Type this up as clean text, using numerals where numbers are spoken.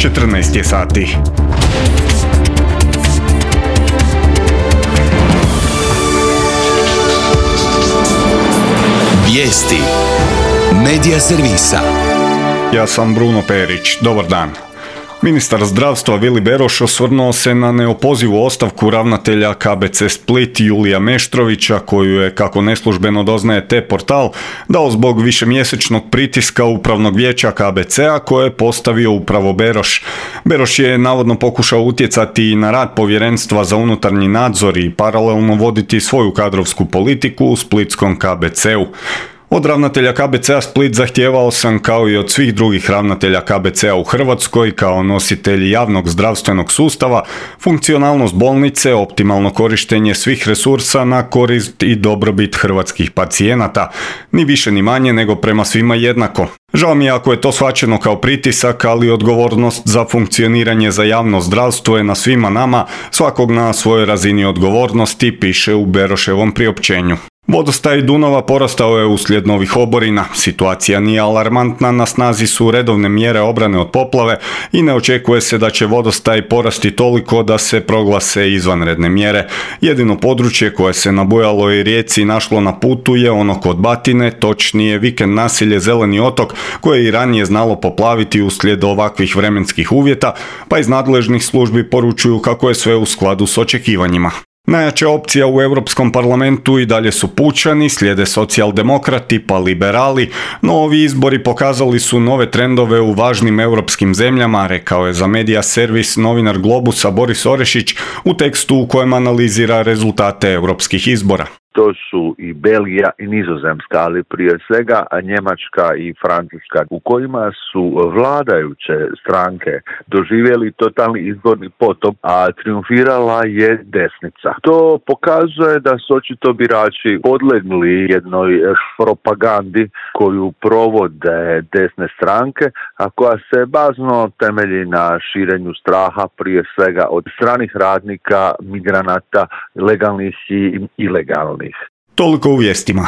14 je sati. Vijesti Medija servisa. Ja sam Bruno Perić. Dobar dan. Ministar zdravstva Vili Beroš osvrnuo se na neopozivu ostavku ravnatelja KBC Split Julija Meštrovića, koju je, kako neslužbeno doznaje T-portal, dao zbog višemjesečnog pritiska upravnog vijeća KBC-a koje je postavio upravo Beroš. Beroš je navodno pokušao utjecati i na rad povjerenstva za unutarnji nadzor i paralelno voditi svoju kadrovsku politiku u splitskom KBC-u. Od ravnatelja KBC-a Split zahtijevao sam, kao i od svih drugih ravnatelja KBC-a u Hrvatskoj, kao nositelji javnog zdravstvenog sustava, funkcionalnost bolnice, optimalno korištenje svih resursa na korist i dobrobit hrvatskih pacijenata, ni više ni manje nego prema svima jednako. Žao mi je ako je to shvaćeno kao pritisak, ali odgovornost za funkcioniranje za javno zdravstvo je na svima nama, svakog na svojoj razini odgovornosti, piše u Beroševom priopćenju. Vodostaj Dunava porastao je uslijed novih oborina. Situacija nije alarmantna, na snazi su redovne mjere obrane od poplave i ne očekuje se da će vodostaj porasti toliko da se proglase izvanredne mjere. Jedino područje koje se na bujaloj rijeci našlo na putu je ono kod Batine, točnije vikend naselje Zeleni otok, koje je i ranije znalo poplaviti uslijed ovakvih vremenskih uvjeta, pa iz nadležnih službi poručuju kako je sve u skladu s očekivanjima. Najjača opcija u Europskom parlamentu i dalje su pučani, slijede socijaldemokrati pa liberali, no ovi izbori pokazali su nove trendove u važnim europskim zemljama, rekao je za Medija servis novinar Globusa Boris Orešić u tekstu u kojem analizira rezultate europskih izbora. To su i Belgija i Nizozemska, ali prije svega Njemačka i Francuska, u kojima su vladajuće stranke doživjeli totalni izborni potop, a triumfirala je desnica. To pokazuje da su očito birači podlegli jednoj propagandi koju provode desne stranke, a koja se bazno temelji na širenju straha prije svega od stranih radnika, migranata, legalnih i ilegalnih. Toliko u vijestima.